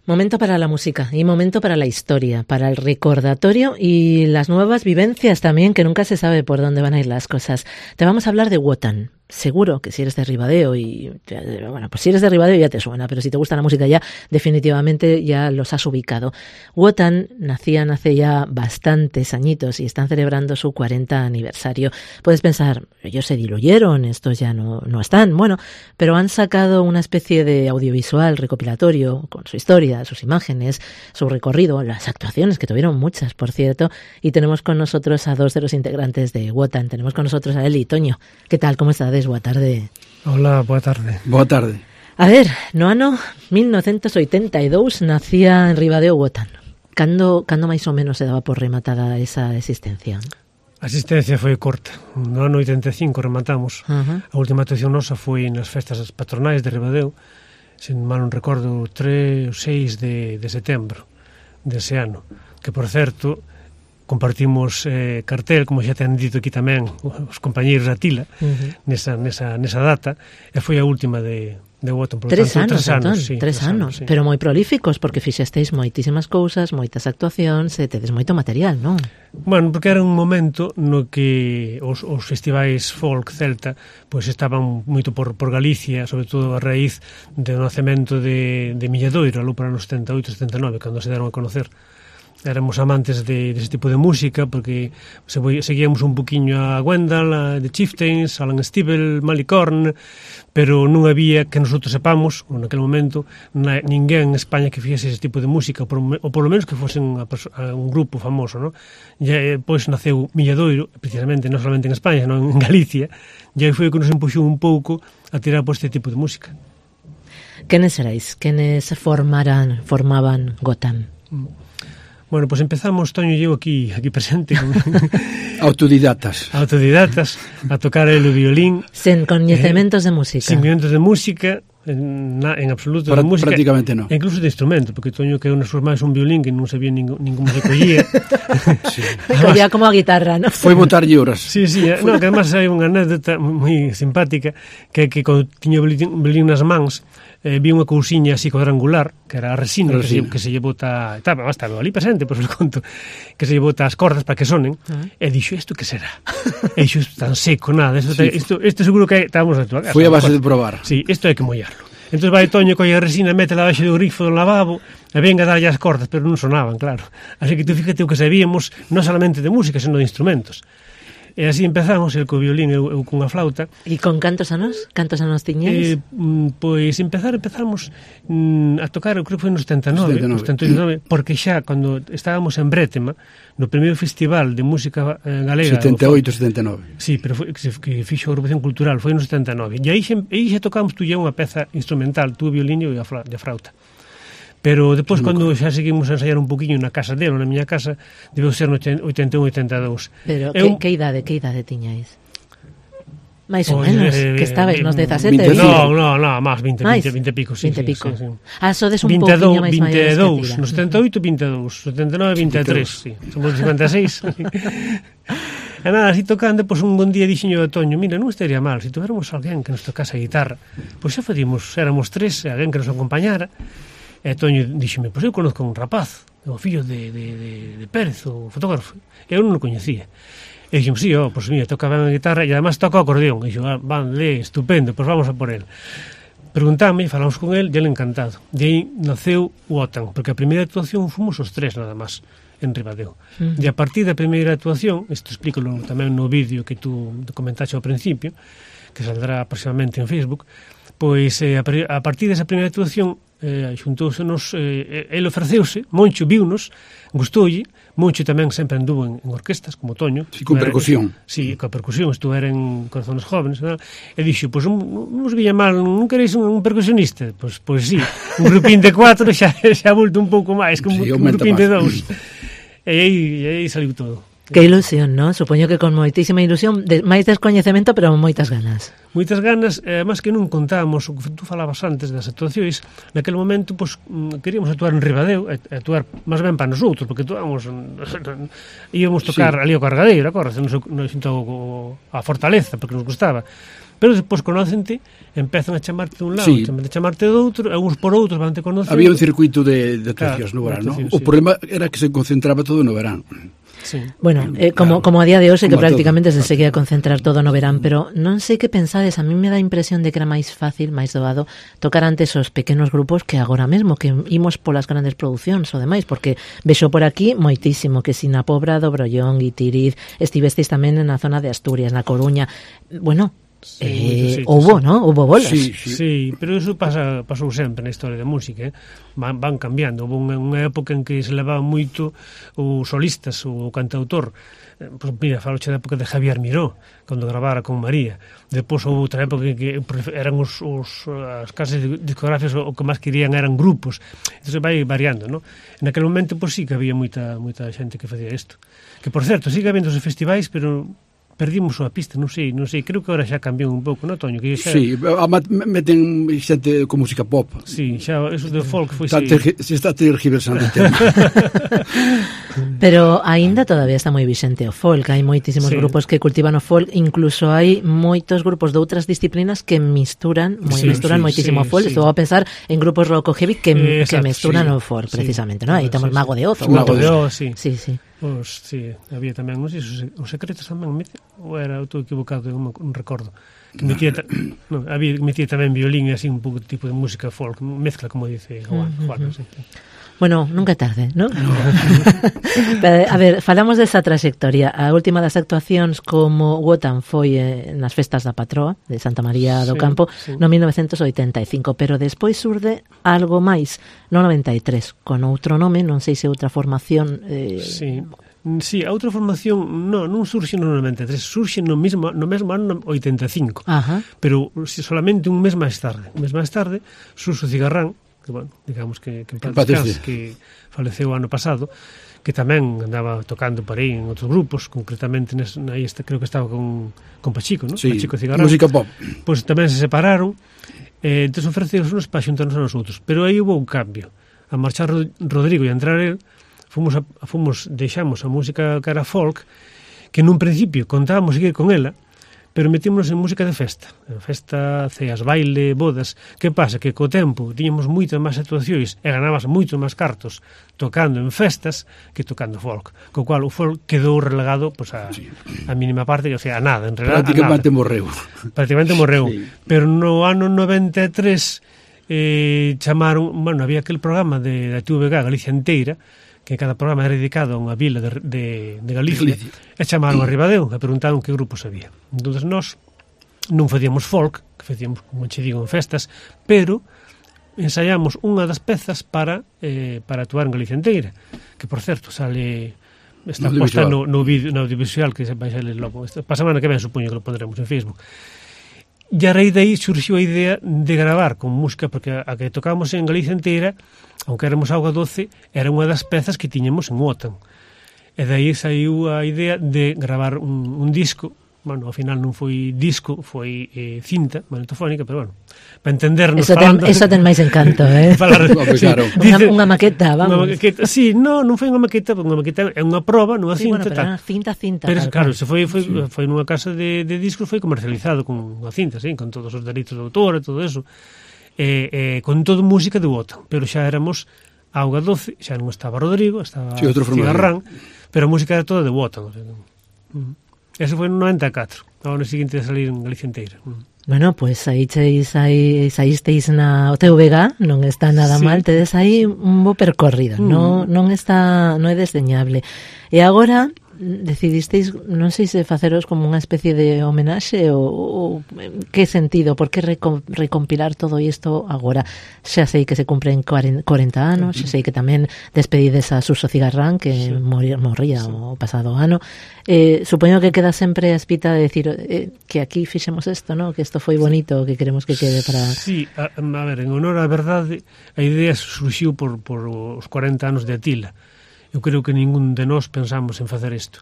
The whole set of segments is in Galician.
Momento para la música y momento para la historia, para el recordatorio y las nuevas vivencias también, que nunca se sabe por dónde van a ir las cosas. Te vamos a hablar de Wotan. Seguro que si eres de Ribadeo bueno, pues si eres de Ribadeo ya te suena, pero si te gusta la música ya definitivamente ya los has ubicado. Wotan nacían hace ya bastantes añitos y están celebrando su 40 aniversario. Puedes pensar, ellos se diluyeron, estos ya no están. Bueno, pero han sacado una especie de audiovisual recopilatorio con su historia, sus imágenes, su recorrido, las actuaciones, que tuvieron muchas, por cierto, y tenemos con nosotros a dos de los integrantes de Wotan. Tenemos con nosotros a Eli y Toño. ¿Qué tal? ¿Cómo estás? Boa tarde. Hola, boa tarde. Boa tarde. A ver, no ano 1982 nacía en Ribadeo Wotan. Cando máis ou menos se daba por rematada esa existencia? A existencia foi corta. No ano 85 rematamos. A última actuación nosa foi nas festas patronais de Ribadeo, se mal non recordo, 3 ou 6 de setembro dese ano. Que, por certo, compartimos cartel, como xa te han dito aquí tamén os compañeiros da Tila, nesa data, e foi a última de Wotan. Tres anos, pero moi prolíficos, porque fixesteis moitísimas cousas, moitas actuacións, e tedes moito material, non? Bueno, porque era un momento no que os festivais folk celta pois estaban moito por Galicia, sobre todo a raíz do nacemento de Milladoiro, aló para nos 78-79, cando se deron a conocer. Éramos amantes de ese tipo de música, porque seguíamos un poquinho a Gwendal, a The Chieftains, Alan Stivell, Malicorn, pero non había, que nosotros sepamos, naquele momento, ninguén en España que fixese ese tipo de música, ou por lo menos que fosen a un grupo famoso, ¿no? E pois naceu Milladoiro, precisamente, non solamente en España, senón en Galicia, e aí foi o que nos empuxou un pouco a tirar por este tipo de música. Quenes erais? Quenes formaban Wotan? Bueno, pois empezamos, Toño e eu aquí presente con autodidatas a tocar el violín sen coñecementos de música. Sin coñecementos de música en absoluto, de música, prácticamente non. Incluso de instrumento, porque Toño que nas súas máis un violín que non sabía ningún se collía. Sí. Collía como a guitarra, ¿no? Foi botar horas. Sí, no, que además hai unha anécdota moi simpática que cando tiño violín nas mans, vi unha cousiña así cuadrangular, que era a resina. Que se lle bota, estaba ali presente, pois os conto, que se lle bota as cordas para que sonen, e dixo, isto que será? E dixo, isto tan seco, nada, isto seguro que estábamos a tua casa. Foi a base de probar. Sí, isto hai que mollarlo. Entón vai Toño colle a resina, métela baixo do grifo do lavabo, e venga a darlle as cordas, pero non sonaban, claro. Así que tú fíjate o que sabíamos, non solamente de música, senón de instrumentos. E así empezamos, el co violín, eu cunha flauta. E con cantos anos? Cantos anos tiñeis? Pois empezamos a tocar, eu creo que foi nos 79, porque xa, cando estábamos en Brétema, no primeiro festival de música galega... 78-79. Sí, pero que fixo a agrupación cultural, foi nos 79. E aí xa tocamos tú ya unha peza instrumental, tú o violín e a flauta. Pero depois, cando xa seguimos a ensaiar un poquinho na casa dele, na miña casa, debeu ser no 81-82. Pero que idade tiñais? Mais ou menos, que estabais nos 17? No, máis, 20 e pico. 20 e pico. Sodes un pouquinho máis maiores que 22, no 78, 22, 79, 23, sí. Somos 56. E nada, así tocando, pois un bon día dixeño a Toño, mira, non estaría mal, se tuviéramos alguén que nos tocase a guitarra, pois xa éramos tres, alguén que nos acompañara. E Toño díxeme, pois eu conozco un rapaz, o fillo de Pérez, o fotógrafo. Eu non o coñecía. E dixemos, sí, pois mira, toca ben a guitarra e además toca o acordeón. E dixo, vale, estupendo, pois vamos a por el. Preguntame, falamos con el, e ele encantado. E aí naceu Wotan, porque a primeira actuación fomos os tres nada máis en Ribadeo. E a partir da primeira actuación, isto explícalo tamén no vídeo que tú comentaste ao principio, que saldrá aproximadamente en Facebook, pois a partir desa primeira actuación xuntousenos, ele ofreceuse, Moncho viunos, gustoulle, Moncho tamén sempre anduvo en orquestas, como Toño. Sí, con percusión. Sí, con percusión, estuvera en Corazones Jóvenes, e dixo, pois non vos viña mal, non queréis un percusionista? Pois sí, un grupín de 4 xa volto un pouco máis, que un grupín de 2. E aí saliu todo. Que ilusión, non? Supoño que con moitísima ilusión, máis descoñecemento, pero moitas ganas. Moitas ganas, máis que non contábamos o que tú falabas antes das actuacións. Naquele momento, pois, queríamos actuar en Ribadeo, actuar máis ben para nosotros, porque íamos tocar ali ao Cargadeiro, acordas, a Fortaleza, porque nos gustaba. Pero despois conócente, empezan a chamarte dun lado, a chamarte do outro, e uns por outros van te conocer. Había un circuito de actuacións no verán, non? O problema era que se concentraba todo no verán. Sí. Bueno, como a día de hoxe que prácticamente se seguía a concentrar todo no verán, pero non sei que pensades, a mí me dá a impresión de que era máis fácil, máis doado tocar antes os pequenos grupos que agora mesmo, que imos polas grandes producións ou demais, porque vexo por aquí moitísimo que si na Pobra do Brollón, Guitiriz, estivestes tamén na zona de Asturias, na Coruña, bueno, houbo, non? Houbo bolas. Sí, pero iso pasou sempre na historia da música, van cambiando. Houve unha época en que se levaba moito os solistas, o cantautor. Pois mira, faloche da época de Javier Miró, cando gravara con María. Depois houve outra época en que eran as casas discográficas o que máis querían eran grupos. Entón vai variando, non? En aquel momento, pois sí que había moita xente que facía isto. Que, por certo, sigue habendo os festivais, pero perdimos a pista, non sei, creo que agora xa cambiou un pouco, non, Toño? Que xa... Sí, meten xente con música pop. Sí, xa, eso de folk foi... Se está tergiversando o tema. Pero aínda todavía está moi vixente o folk, hai moitísimos grupos que cultivan o folk, incluso hai moitos grupos de outras disciplinas que misturan moitísimo o folk. Estou a pensar en grupos rock o heavy que misturan o folk, precisamente, non? Aí temos Mago de Oz. Mago de Oz, sí. Sí. Pois, sí, había tamén, non sei, os secretos tamén, ou era outro equivocado, non recordo. Que metía tamén violín e así un pouco tipo de música folk, mezcla, como dice Juan, sí. Bueno, nunca é tarde, non? A ver, falamos desa trayectoria. A última das actuacións como Wotan foi nas festas da Patroa de Santa María do Campo no 1985, pero despois surde algo máis no 93, con outro nome, non sei se outra formación... Sí, a outra formación non surxe no 93, surxe no mesmo ano 85. Ajá. Pero solamente un mes máis tarde, Suso Cigarrán, que, bueno, digamos que faleceu o ano pasado, que tamén andaba tocando por aí en outros grupos, concretamente creo que estaba con Pachico, ¿no? Sí, Pachico Cigarrán. Música pop. Pois tamén se separaron, entón ofreceron unos para xuntarnos a nosotros, pero aí hubo un cambio. A marchar Rodrigo e a entrar él, deixamos a música que era folk, que nun principio contábamos seguir con ela, pero metímonos en música de festa, ceas, baile, bodas. Que pasa? Que co tempo tiñamos moitas máis actuacións e ganabas moitos máis cartos tocando en festas que tocando folk, co cual o folk quedou relegado pues, a mínima parte, o sea, a nada, en realidad prácticamente morreu. Sí. Pero no ano 93 chamaron, bueno, había aquel programa da TVG Galicia Enteira, que cada programa era dedicado a unha vila de Galicia, e chamaron a Ribadeo e preguntaron que grupos había. Entón, nós non facíamos folk, que facíamos, como che digo, en festas, pero ensaiamos unha das pezas para actuar en Galicia Enteira, que, por certo, está posta no audiovisual, que vai salir logo. Pa semana que ven, supoño que lo pondremos en Facebook. E a raíz de aí surxiu a idea de gravar con música, porque a que tocábamos en Galicia Enteira, aunque éramos Auga Doce, era unha das pezas que tiñamos en Wotan. E de aí saiu a idea de gravar un disco. Bueno, ao final non foi disco, foi cinta magnetofónica, pero bueno, para entendernos falando... Eso ten máis encanto, Unha maqueta, vamos. Sí, non foi unha maqueta, é unha proba nunha cinta. Bueno, pero era cinta. Pero claro, se foi nunha casa de discos, foi comercializado con unha cinta, con todos os dereitos de autor e todo eso. Con todo música de Wotan, pero xa éramos Auga Doce, xa non estaba Rodrigo, estaba Cigarrán, pero a música era toda de Wotan. Eso foi no 94, ao ano seguinte de salir en Galicia Enteira. Bueno, pois saísteis na TVG, non está nada mal, tedes aí un bo percorrido, non é desdeñable. E agora decidisteis, non sei se faceros como unha especie de homenaxe ou que sentido, por que recompilar todo isto agora? Xa sei que se cumpren 40 anos, xa sei que tamén despedides a Suso Cigarrán, que morría o pasado ano. Supoño que queda sempre a espita de decir que aquí fixemos isto, ¿no? Que isto foi bonito, que queremos que quede para... Sí, a ver, en honor á verdade, a idea surxiu por os 40 anos de Atila. Eu creo que ningún de nós pensamos en facer isto.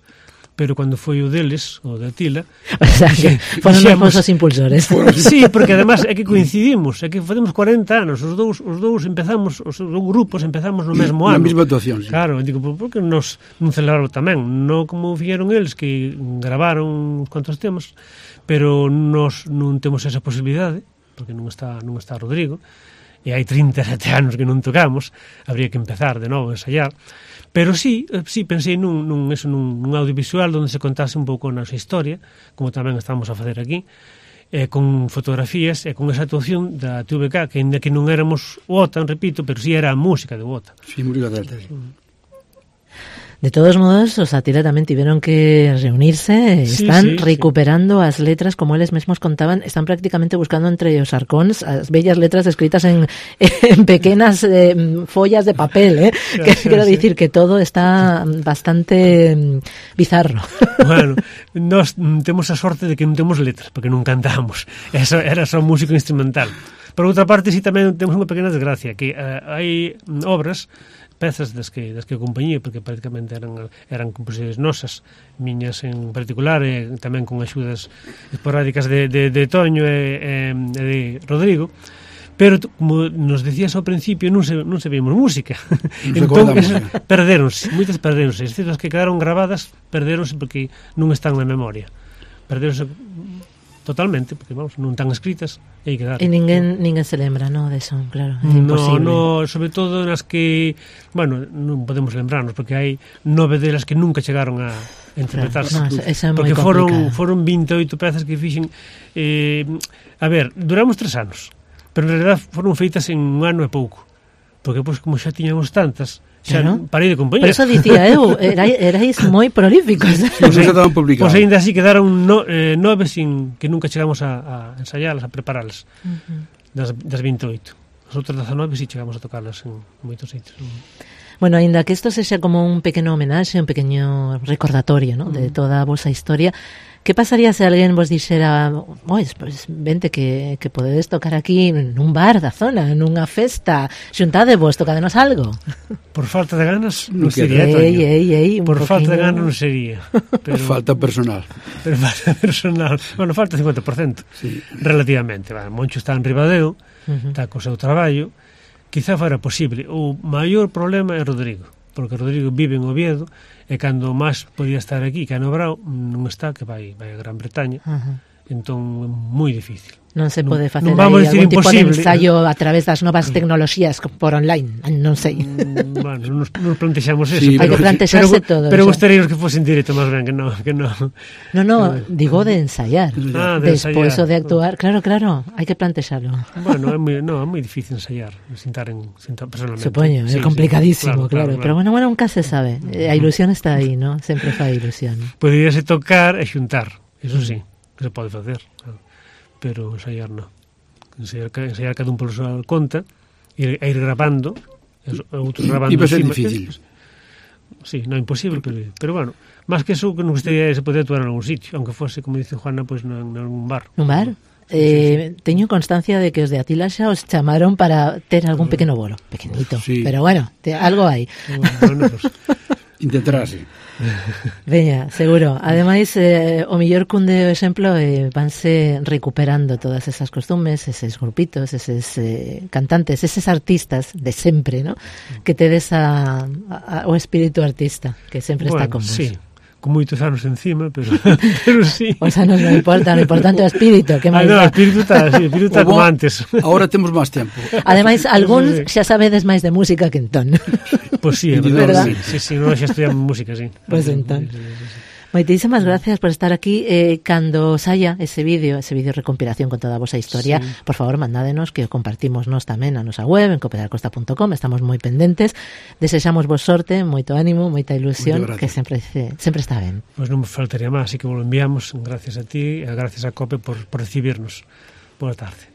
pero cando foi o deles, o de Atila, o sea, que foron os impulsores. Sí, porque además é que coincidimos, é que facemos 40 anos, os dous empezamos, os dous grupos empezamos no mesmo ano. Na mesma actuación, sí. Claro, digo, por que nos non celebrarlo tamén? Non como fixeron eles, que gravaron uns cuantos temas, pero nos non temos esa posibilidade, porque non está Rodrigo, e hai 37 anos que non tocamos, habría que empezar de novo a ensayar. Pero sí pensei nun audiovisual onde se contase un pouco a nosa historia, como tamén estamos a facer aquí, con fotografías e con esa actuación da TVK, que ainda que non éramos Wotan, repito, pero sí era a música de Wotan. Sí, música delta, sí. De todos modos, os Atila tamén tiveron que reunirse, están recuperando as letras, como eles mesmos contaban, están prácticamente buscando entre os arcóns as bellas letras escritas en pequenas follas de papel, Quero dicir que todo está bastante bizarro. Bueno, nós temos a sorte de que non temos letras, porque non cantamos, eso era só músico instrumental. Por outra parte, sí, tamén temos unha pequena desgracia, que hai obras, pezas das que acompañía, porque prácticamente eran composicións nosas, miñas en particular, e tamén con axudas esporádicas de Toño e de Rodrigo, pero como nos decías ao principio, non se vimos música. Entón, perderonse, moitas perderonse. As citas que quedaron gravadas perderonse porque non están na memoria. Perderonse totalmente, porque vamos, non están escritas e aí quedaron. E ninguén se lembra, no, de eso, claro, é imposible. No, sobre todo nas que, bueno, non podemos lembrarnos, porque hai 9 delas que nunca chegaron a interpretarse. Claro, no, esa é moi porque complicada. foron 28 pezas que fixen, a ver, duramos 3 anos, pero en realidad foron feitas en un ano e pouco, porque pois como xa tiñamos tantas, xa parei de compañía. Por eso dicía eu, erais moi prolíficos. Pois ainda así quedaron 9 que nunca chegamos a ensaialas, a prepararlas, das 28. As outras 19 sí chegamos a tocarlas en moitos sitios. Bueno, ainda que isto sexa como un pequeno homenaxe, un pequeño recordatorio, ¿no? De toda a vosa historia, que pasaría se alguén vos dixera, pues vente que podedes tocar aquí nun bar da zona, nunha festa, xuntadevos, tocadenos algo? Por falta de ganas non sería, Toño. Por falta de ganas non sería. Pero falta personal. Pero falta personal. Bueno, falta 50%. Sí. Relativamente. Moncho está en Ribadeo, está co seu traballo. Quizá fora posible. O maior problema é Rodrigo, porque Rodrigo vive en Oviedo, e cando máis podía estar aquí, que a Nobrao non está, que vai a Gran Bretaña, entón é moi difícil. Non se pode facer aí algún tipo de ensayo a través das novas tecnoloxías por online, non sei. Bueno, nos plantexamos eso. Sí, hai que plantexarse todo. Pero gostaríamos que fose en directo, máis ben, que non. No, digo de ensayar. Despois o de actuar, claro, hai que plantexarlo. Bueno, é moi difícil ensayar, sentar personalmente. Supoño, é complicadísimo, claro. Pero bueno, nunca se sabe. A ilusión está aí, ¿no? Sempre fai ilusión. Poderíase tocar e xuntar, eso sí, que se pode facer, claro. Pero ensayar non. Ensayar cada un por súa conta e ir grabando, outros grabando. E vai ser difícil. Sí, non é imposible, pero bueno, máis que eso, que non gustaría se poder actuar en algún sitio, aunque fose, como dice Juana, pues, en algún bar. Un bar? Sí. Teño constancia de que os de Atila xa os chamaron para ter algún pequeno bolo, pequenito, sí. Pero bueno, algo hai. Bueno, pues, intentarase. Veña, seguro. Ademais, o mellor cun de exemplo vanse recuperando todas esas costumes, eses grupitos, eses cantantes, eses artistas de sempre, ¿no? Que tedes o espírito artista que sempre está con vos. Sí. Con moitos anos encima, pero sí. Os anos non importa, o importante é o espírito. Que máis o espírito está como antes. Agora temos máis tempo. Ademais, algúns xa sabedes máis de música que entón. Pois sí, é verdad. Sí, non xa estudiamos música, sí. Pois entón. Moitísimas gracias por estar aquí. Cando saia ese vídeo recompilación con toda a vosa historia, sí. Por favor, mandádenos, que o compartimos nos tamén na nosa web, en copedacosta.com, estamos moi pendentes. Desexamos vos sorte, moito ánimo, moita ilusión, que sempre está ben. Pois non me faltaría máis, así que vos lo enviamos, gracias a ti e gracias a Cope por recibirnos. Boa tarde.